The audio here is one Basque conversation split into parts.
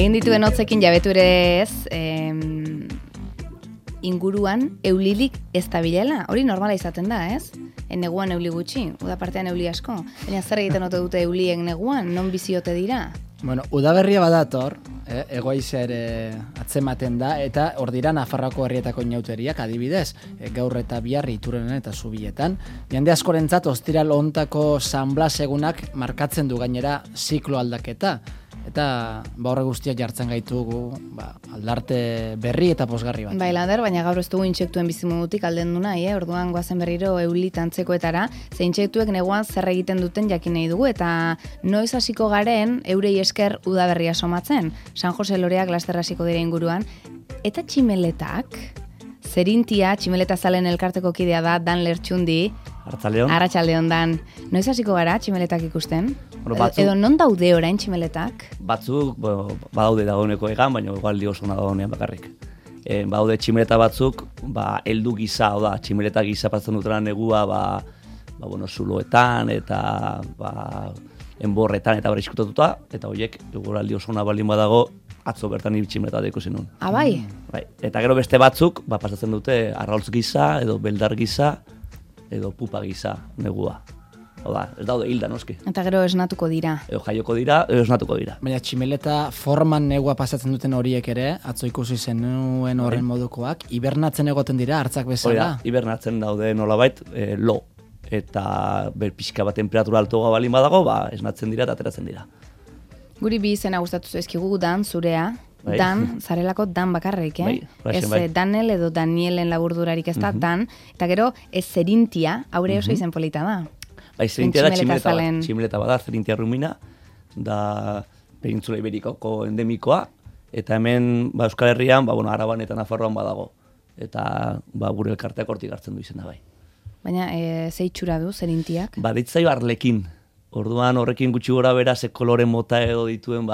Egin dituen hotzekin jabetu ere ez, inguruan eulilik ez da bilela. Hori normala izaten da, ez? Neguan euli gutxi, uda partean euli asko. Baina zer egiten ote dute euliek neguan, non biziote dira? Bueno, udaberria badator, egoizea ere atzematen da, eta hor dira Nafarroako herrietako inauteriak adibidez, gaur eta bihar Iturrenen eta Zubietan. Jende askorentzat ostiral hontako San Blas egunak markatzen du gainera ziklo aldaketa. Eta horre guztiak jartzen gaitugu aldarte berri eta posgarri bat. Bai, Lander, baina gaur ez dugu intsektuen bizimodutik alden du nahi, orduan goazen berriro eulit antzekoetara, ze intsektuek neguan zer egiten duten jakin nahi dugu, eta noiz hasiko garen eurei esker udaberria somatzen. San Jose Loreak laster hasiko dira inguruan, eta tximeletak, zerintia, tximeleta zalen elkarteko kidea da, Dan Lertxundi, Arratsaldeon Dan. Noiz hasiko gara tximeletak ikusten? Edo non daude orain tximeletak? Batzuk, badaude dagoeneko egan, baina igual diosuna dagoenean bakarrik. Badaude tximeleta batzuk, heldu gisa, tximeleta gisa patzen dutela negua, zuloetan eta enborretan eta iskutatuta, eta horiek, eguraldi osuna balin badago, atzo bertan tximeleta bat ikusi nun. Bai? Bai. Eta gero beste batzuk, pasatzen dute arrautz gisa, edo beldar gisa, edo pupa gisa negua. Ez daude hilda, noski. Eta gero esnatuko dira. Edo jaioko dira, edo esnatuko dira. Baina tximeleta forman negua pasatzen duten horiek ere, atzo ikusi zenuen horren modukoak, hibernatzen egoten dira, hartzak bezala? Hibernatzen daude nolabait, lo. Eta pixka bat temperatura altoa balin badago, esnatzen dira eta ateratzen dira. Guri bi izena gustatu zaizkigu, Dan, zurea. Bai. Dan, zarelako Dan bakarrik, ez Danel edo Danielen laburdurarik ez da, Dan. Eta gero, ez zerintia, haure oso izen polita da. Bai, zerintia da tximeleta bada, zerintia rumina, da Penintzula Iberikoko endemikoa, eta hemen Euskal Herrian, Araban eta Nafarroan badago. Eta gure elkarteak hortik hartzen du izena bai. Baina, ze itxura du zerintiak? Ditzai arlekin. Orduan horrekin gutxi gora bera, ze kolore mota edo dituen,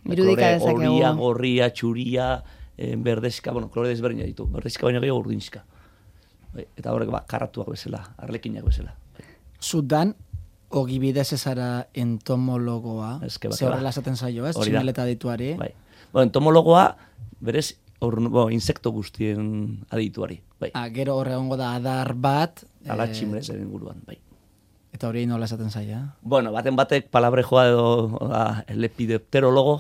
irudika dezakegu. Horia, gorria, txuria, berdezka, kolore desberdina ditu. Berdezka baina gehiago urdinska. Eta horrek karratuak bezala, arlekinak bezala. Zudan, ogibidez ezara entomologoa, ze horrela esaten zaio, ez? Tximeleta dituari. Entomologoa, berez, insekto guztien adituari. Gero horre ongo da adar bat. Ala tximeleta inguruan, bai. Eta hori nola esaten zaia? Baten batek palabrejoa edo lepidopterologo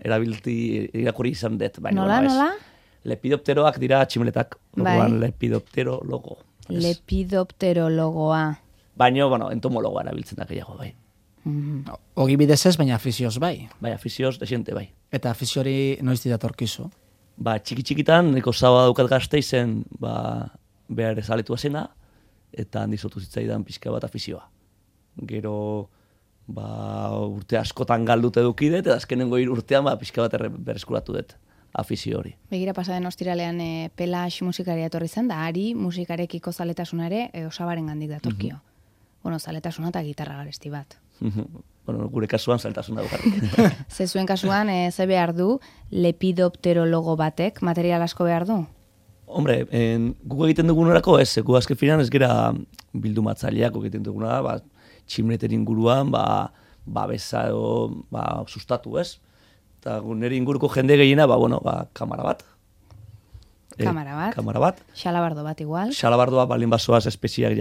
erabilti irakurri izan dut. Nola? Lepidopteroak dira tximeletak. Orduan lepidopterologo. Lepidopterologoa. Baina, entomologoa erabiltzen da gehiago, bai. Ogibidez ez, baina afizioz bai. Bai, afizioz, desiente, bai. Eta afiziori noiz didatorkizu? Txiki-txikitan, niko zaba daukat Gasteizen, behar ezaletua zena, eta handizotu zitzaidan pixka bat afizioa. Gero, urte askotan galdute dukidet, eta azkenengo urtean pixka bat berreskuratu dut afizio hori. Begira pasaden ostiralean Pelax musikaria etorri zen, da Ari musikarekiko zaletasuna ere Osabaren gandik datorkio. Zaletasuna eta gitarra garesti bat. Gure kasuan zaletasuna dugarrik. Ze zuen kasuan, ze behar du lepidopterologo batek, material asko behar du? Hombre, guk egiten dugunerako ez, gu azken finan ez gera bildumatzaileak egiten duguna, tximleten inguruan, babesa edo sustatu ez. Eta nire inguruko jende gehiena, kamara bat. Kamara bat? Xalabardo bat igual? Xalabardoa balin basoaz espeziak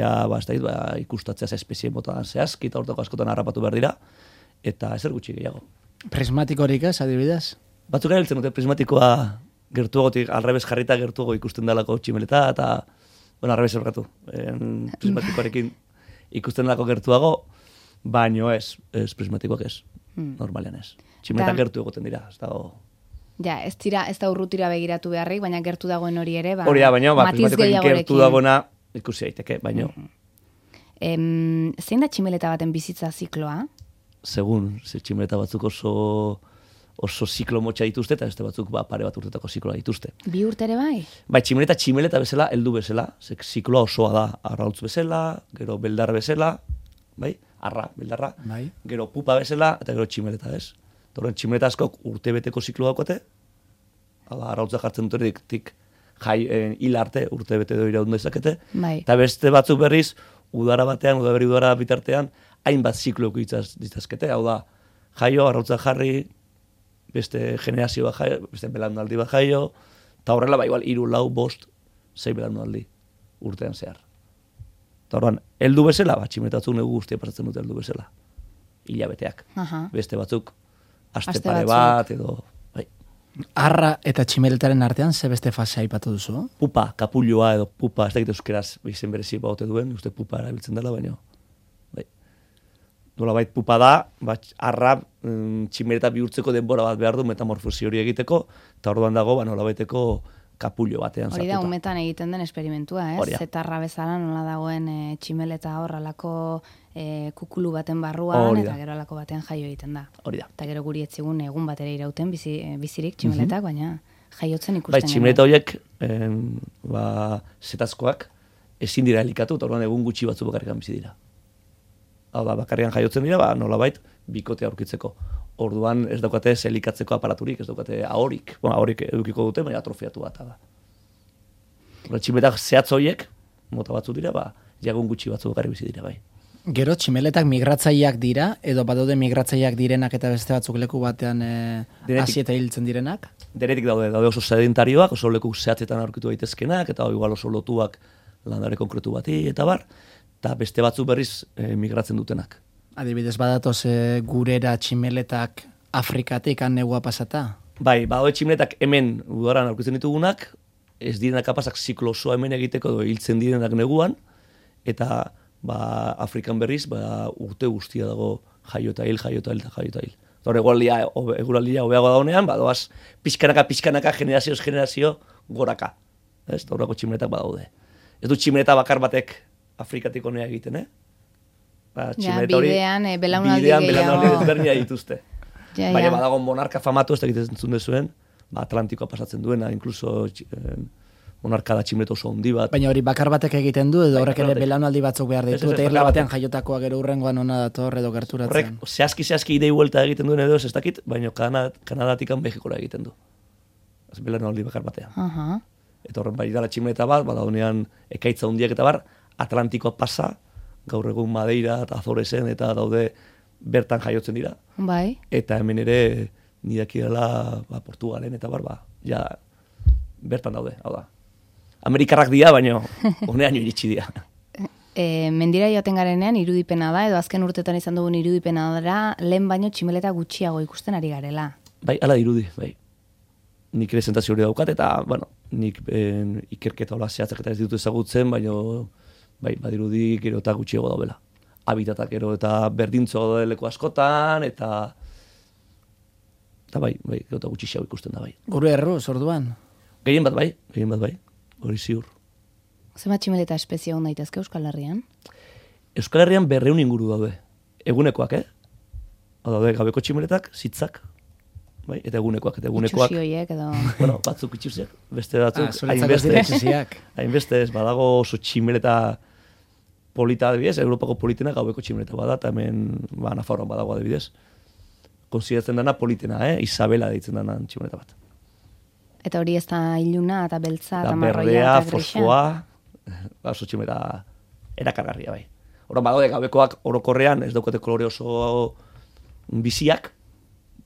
ikustatzeaz espezien botan zehazki, eta hortako askotan harrapatu behar dira, eta ezer gutxi gehiago. Prismatikorik ez, adibidez? Batzuk erabiltzen dute prismatikoa gertuagotik, alrebez jarrita gertuago ikusten dalako tximeleta, eta, alrebez ergatu. Prismatikoarekin ikusten dalako gertuago, baino ez prismatikoak ez, normalean ez. Tximeletak gertu egoten dira, ez dago... Ja, ez da urrutira begiratu beharrik, baina gertu dagoen hori ere, hori da, baina, prismatikoekin gertu dagoena ikusi daiteke, baina... Zein da tximeleta baten bizitza zikloa? Segun, tximeleta batzuk oso ziklo motxa dituzte, eta beste batzuk pare bat urtetako zikloa dituzte. 2 urte ere bai? Bai, tximeleta bezala, heldu bezala, zikloa osoa da, arrautz bezala, gero beldar bezala, bai, beldarra, gero pupa bezala, eta gero tximeleta ez. Torren tximeleta askok urtebeteko zikloa daukate, arrautza jartzen duterik hil arte urtebete edo iraun dezakete, eta beste batzuk berriz, udaberri udara bitartean, hainbat ziklo ditzazkete, hau da, jaio, arrautza jarri, beste generazio bat jaio, beste belaunaldi bat jaio, eta horrela, igual, 3, 4, 5, 6 belaunaldi urtean zehar. Eta horrean, heldu bezala, tximeletatzuk negu guztia pasatzen dute heldu bezala. Hilabeteak. Beste batzuk, aste pare bat, edo... Bai. Arra eta tximeletaren artean, ze beste fase aipatu duzu? Pupa, kapulloa edo pupa, ez dakit euskeraz izen berezi baute duen, uste pupa erabiltzen dela, baina... Bai. Nolabait pupa da, arra tximeleta bihurtzeko denbora bat behar du metamorfosi hori egiteko, eta orduan dago, nolabaiteko kapullo batean sartuta. Hori da, umetan egiten den esperimentua, ez? Zetarra bezala nola dagoen tximeleta horrelako kukulu baten barruan, eta gero alako batean jaio egiten da. Hori da. Eta gero guri etzigun egun batera irauten bizirik tximeletak, baina jaiotzen ikusten. Bai, tximeleta horiek, zetazkoak, ezin dira elikatu, eta orduan egun gutxi batzu bakarrikan bizi dira. Hau da, bakarrian jaiotzen dira, nolabait, bikotea aurkitzeko. Orduan ez daukate elikatzeko aparaturik, ez daukate ahorik. Ahorik edukiko dute, baina atrofiatu bat da. Tximeletak zehatz horiek, mota batzu dira, jagun gutxi batzu bakarri bizi dira, bai. Gero, tximeletak migratzaileak dira, edo badaude migratzaileak direnak eta beste batzuk leku batean hasi eta hiltzen direnak? Denetik daude oso sedentarioak, oso leku zehatzetan aurkitu daitezkenak, eta igual oso lotuak landare konkretu bati, eta bar, eta beste batzu berriz migratzen dutenak. Adibidez, badatoz gurera tximeletak Afrikatik negua pasata? Bai, badaude tximeletak hemen udaran aurkitzen ditugunak, ez direnak kapazak ziklo osoa hemen egiteko edo hiltzen direnak neguan, eta Afrikan berriz urte guztia dago jaio eta hil. Hor eguraldia hobeago daunean, doaz pixkanaka, generazio goraka. Ez, horrako tximeletak badaude. Ez du tximeleta bakar batek Afrikatik honea egiten, bidean, belaunaldi ezberdina dituzte. Baina badago monarka famatu, ez da egiten entzun dezuen, Atlantikoa pasatzen duena, inkluso monarka da tximelet oso handi bat. Baina hori bakar batek egiten du, edo horrek ere belaunaldi batzuk behar ditu, eta irla batean jaiotakoa gero urrengoan ona dator edo gerturatzen. Horrek, zehazki idei huelta egiten duen edo ez dakit, baina Kanadatikan Mexikora egiten du. Ez belaunaldi bakar batean. Eta horren bai dala tximeleta bat, badaunean ekaitza hundiak eta bar, Atlantikoa pasa, gaur egun Madeira eta Azoresen eta daude bertan jaiotzen dira. Bai. Eta hemen ere nidaki dela Portugalen eta bar, ja bertan daude, hau da. Amerikarrak dira, baina honean iritsi dira. Mendira joaten garenean irudipena da, edo azken urtetan izan dugun irudipena da, lehen baino tximeleta gutxiago ikusten ari garela. Bai, ala irudi, bai. Nik ere sentazio hori daukat, eta, bueno, nik ikerketa hola zehatzak eta ez ditut ezagutzen, baina bai, badirudi gero eta gutxiago daubela. Habitatak gero eta berdintzo leku askotan, eta bai, gero eta gutxiago ikusten da, bai. Gure erruz, orduan? Gehien bat bai, hori ziur. Zema tximeleta espezie hon daitezke Euskal Herrian? Euskal Herrian 200 inguru daude. Egunekoak, daude gabeko tximeletak, zitzak, bai, eta egunekoak. Itxusi horiek edo... Bueno, batzuk itxusiak, beste batzuk, hainbeste ez, badago oso tximeleta polita adibidez, Europako politena gaueko tximeleta bada, eta hemen Nafarroan badago adibidez. Konsideratzen dana politena, Isabela deitzen dana tximeleta bat. Eta hori ez da iluna, eta beltza, eta marroia, berdea, eta grisa. Fosfoa, oso tximeleta erakargarria, bai. Horren badaude gabekoak orokorrean, ez daukate kolore oso biziak,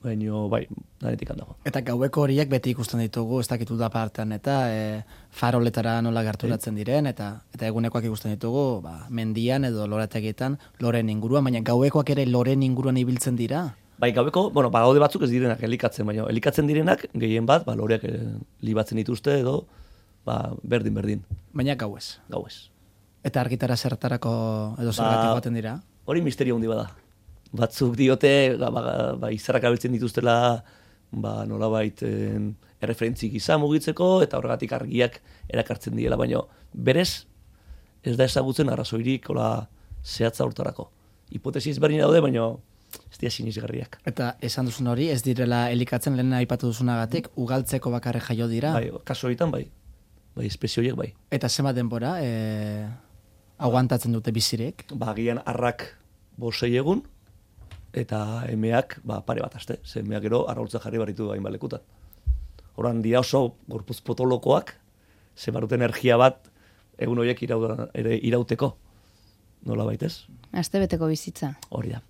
baina bai, danetik handago. Eta gaueko horiek beti ikusten ditugu, ez dakitu da partean, eta faroletara nola gerturatzen diren, eta egunekoak ikusten ditugu, mendian edo lorategietan, loren inguruan, baina gauekoak ere loren inguruan ibiltzen dira? Bai, gaueko, badaude batzuk ez direnak elikatzen, baina elikatzen direnak, gehien bat, loreak libatzen dituzte edo, berdin. Baina gauez? Gauez. Eta argitara zertarako edo zergatik baten dira? Hori misterio handi bada. Batzuk diote, izarrak abiltzen dituztela, nolabait erreferentzik gisa mugitzeko, eta horregatik argiak erakartzen diela, baina berez, ez da ezagutzen arrazoirik zehatza hortarako. Hipotesi ezberdin daude, baina ez dira sinisgarriak. Eta esan duzun hori, ez direla elikatzen lehen aipatu duzunagatik, ugaltzeko bakarre jaio dira? Bai, kaso horietan bai. Bai, espezie horiek bai. Eta zema denbora, aguantatzen dute bizirik? Agian arrak 5 egun, eta emeak pare bat aste. Ze emeak gero arraultza jarri baritu hainbat lekutan. Horan dira oso gorputz potolokoak, ze baruten energia bat egun horiek irauteko. Nola baitez? Aste beteko bizitza. Hori da.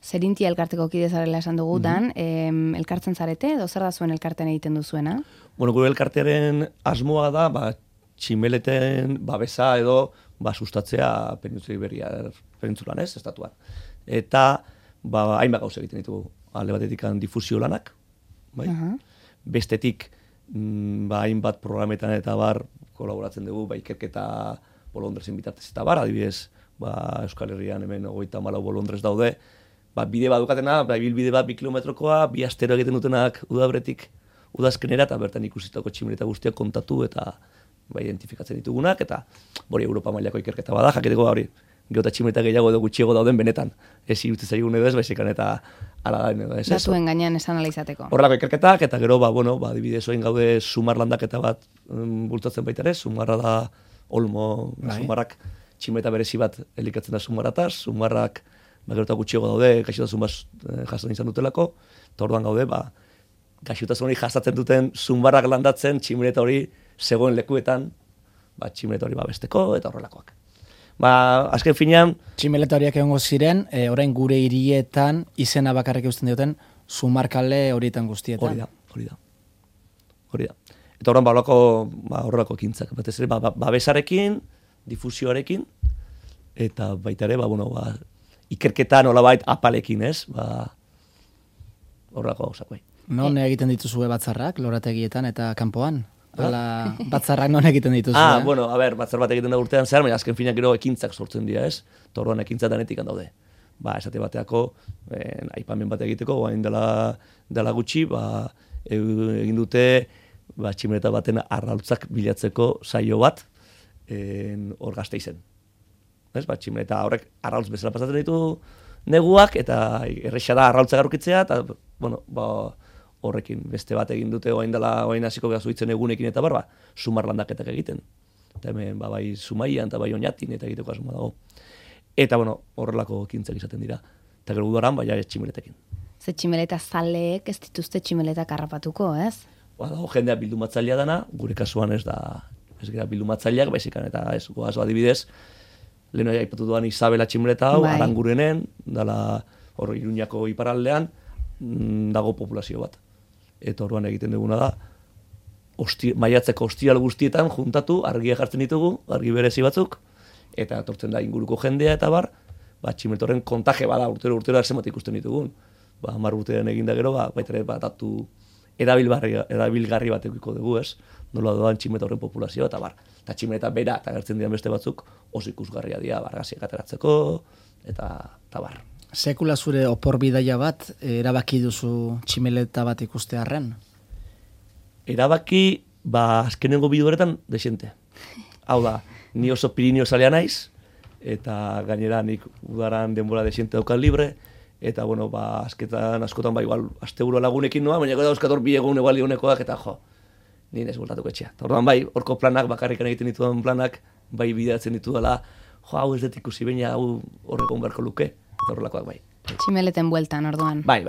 Zerintia elkarteko kide zarela esan dugu, Dan, elkartzen zarete, edo zer da zuen elkarten egiten duzuena? Bueno, gure elkartearen asmoa da, tximeleten babesa edo sustatzea Penintzula Iberiar penintzulan, estatuan. Eta hainbat gauza egiten ditugu. Alde batetik difusio lanak, bai? Bestetik hainbat programetan eta kolaboratzen dugu, ikerketa bolondrezen bitartez eta adibidez, Euskal Herrian hemen 34 bolondrez daude, bide bat dukatena, ibilbide bat 2 kilometrokoa, 2 astero egiten dutenak udabretik udazkenera, eta bertan ikusitako tximeleta guztiak kontatu eta identifikatzen ditugunak, eta hori Europa mailako ikerketa bada, jakiteko hori, geota tximeleta gehiago edo gutxiago dauden benetan. Ez irutzen zaigun edo ez, baizikan eta ala da edo ez. Datuen gainean esan analizateko. Horrelako ikerketak, eta gero, adibidez oin gaude sumar landaketa bat bultatzen baita ere, sumarra da olmo, sumarrak tximeleta berezi bat elikatzen da sumarrataz, sumarrak gero eta gutxiago daude, gaixotasun bat jasan izan dutelako, eta orduan gaude, gaixotasun hori jasatzen duten sumarrak landatzen tximeleta hori zegoen lekuetan, tximeleta hori besteko eta horrelakoak. Azken finean... Tximeleta horiak egongo ziren, orain gure hirietan izena bakarrik eusten dioten sumarkale horietan guztietan. Hori da. Eta orain horrelako ekintzak. Batez ere, babesarekin, difusioarekin, eta baita ere, ikerketan nolabait apalekin, ez? Horrelako gauzak bai. Non egiten dituzue batzarrak, lorategietan eta kanpoan? Batzarrak non egiten dituzue? Batzar bat egiten da urtean zehar, baina azken finak gero ekintzak sortzen dira, ez? Torroan ekintza danetik daude. Esate bateako, aipamen bat egiteko, guain dela gutxi, egin dute tximeleta baten arrautzak bilatzeko saio bat hor Gasteizen. Tximeleta horrek arrautz bezala pasatzen ditu neguak, eta erresa da arrautzak aurkitzea, eta, horrekin beste bat egin dute oain hasiko geha zuitzen egunekin eta sumar landaketak egiten. Eta hemen bai Zumaian eta bai Oñatin eta egiteko asmoa dago. Eta horrelako ekintzak izaten dira. Eta gero udaran tximeletekin. Ze tximeleta zaleek ez dituzte tximeletak harrapatuko, ez? Dago jendea bildumatzailea dana, gure kasuan ez gara bildumatzaileak, baizikan eta ez goaz adibidez, lehen aipatu duan Isabela tximeleta hau, Arangurenen, dala hor Iruñako iparaldean, dago populazio bat. Eta orduan egiten duguna da, maiatzeko ostiral guztietan juntatu, argia jartzen ditugu, argi berezi batzuk, eta etortzen da inguruko jendea eta tximeleta horren kontaje bada urtero zenbat ikusten ditugun. 10 urtean eginda gero, baita ere datu erabilgarri bat edukiko dugu, ez? Nola doan tximeleta horren populazioa, eta tximeleta bera eta gertzen dian beste batzuk oso ikusgarria dira, gaziak ateratzeko, eta bar. Sekula zure opor bidaia bat erabaki duzu tximeleta bat ikustearren? Erabaki, azkenengo bidueretan desente. Hau da, ni oso Pirineo zalea naiz, eta gainera nik udaran denbora desente daukan libre, eta azketan askotan igual asteburu lagunekin noa, baina gero dauzkator 2 egun egualdi honekoak, eta nire ez bultatuko etxea. Orduan horko planak, bakarrikan egiten ditudan planak, bidatzen ditu dela, hau ez dut ikusi baina hau horrekon beharko luke. Horrelakoak bai. Tximeleten bueltan, orduan. Bai.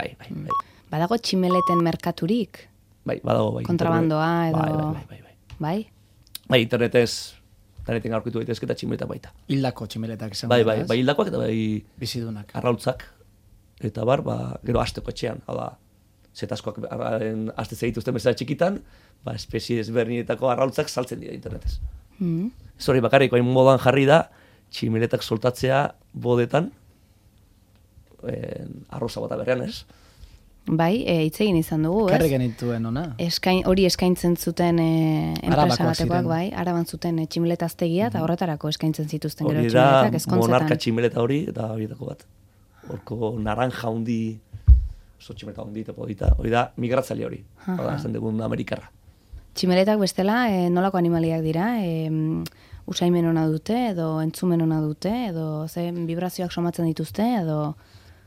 Badago tximeleten merkaturik? Bai, badago. Kontrabandoa edo... Bai? Bai, interneten aurkitu daitezke eta tximeleta baita. Hildako tximeletak izan. Bai, hildakoak eta bizidunak. Arrautzak. Eta gero asteko etxean. Hau da, zetazkoak aste zegituzten bezala txikitan, espezie ezberdinetako arrautzak saltzen dira internetez. Zori bakarrik, hain modan jarri da, tximeletak soltatzea bodetan, arroza bota berrean, ez? Bai, hitz egin izan dugu, ez? Karri genituen, ona? Hori eskaintzen zuten enpresa batekoak, bai, araban zuten tximeletaztegia, eta horretarako eskaintzen zituzten gero tximeletak ezkontzetan. Hori da, monarka tximeleta hori, eta horietako bat. Horko naranja hundi, oso tximeleta hundi, hori da, migratzaile hori, esan dugun Amerikarra. Tximeletak bestela, nolako animaliak dira? Usaimen ona dute, edo entzumen ona dute, edo vibrazioak somatzen dituzte, edo...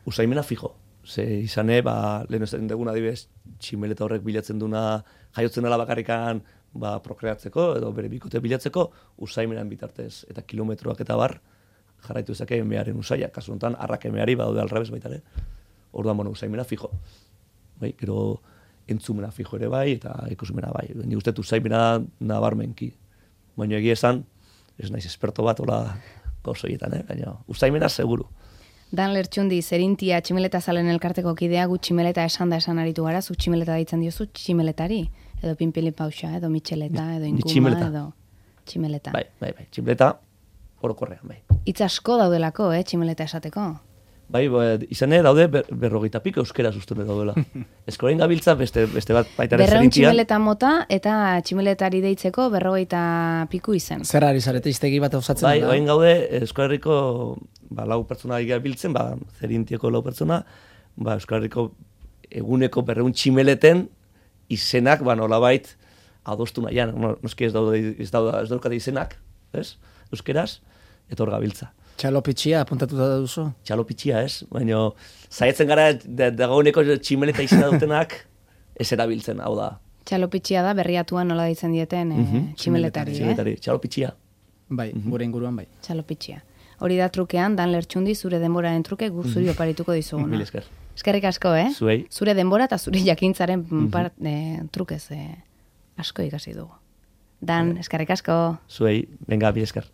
Usaimena fijo. Izane, lehen ez dugun adibidez, tximeleta horrek bilatzen duna, jaiotzen dela bakarrikan prokreatzeko, edo bere bikote bilatzeko, usaimenan bitartez, eta kilometroak eta jarraitu ezake emearen usaia. Kasu honetan, arrak emeari badaude alrebez baita ere. Orduan, usaimena fijo. Gero entzumena fijo ere bai, eta ikusmena bai. Ni uste usaimena nabarmenki. Baina egia esan, ez naiz esperto bat, hola gauzoietan, baina usaimena seguru. Dan Lertxundi, zerintia tximeleta zalen elkarteko kidea, gu tximeleta esan aritu gara, zu tximeleta daitzen diozu tximeletari, edo pinpili pausa, edo mitxeleta, edo inkuma, edo tximeleta. Bai, tximeleta orokorrean, bai. Itz asko daudelako, tximeleta esateko. Bai, izan daude berrogeita piko euskera sustune daudela. Eskorein gabiltza beste bat baitaren zerintia. Berreun tximeleta mota eta tximeletari deitzeko berrogeita piku izen. Zer ari zarete iztegi bat osatzen da? Bai, gaude Euskal Herriko lau pertsona gabiltzen, zerintieko lau pertsona, Euskal Herriko eguneko berreun tximeleten izenak, nolabait adostu nahian. Noski ez daukate izenak, euskeraz, eta hor gabiltza. Txalopitxia apuntatuta duzu? Txalopitxia, baina zaietzen gara dagoeneko tximeleta izena dutenak ez erabiltzen, hau da. Txalopitxia da berriatuan nola deitzen dieten tximeletari, Txalopitxia. Bai, gure inguruan bai. Txalopitxia. Hori da trukean, Dan Lertxundi zure denboraren truke zuri oparituko dizuguna. Mil esker. Eskerrik asko, Zuei. Zure denbora eta zure jakintzaren trukez asko ikasi dugu. Dan, eskerrik asko. Zuei, venga, mil esker.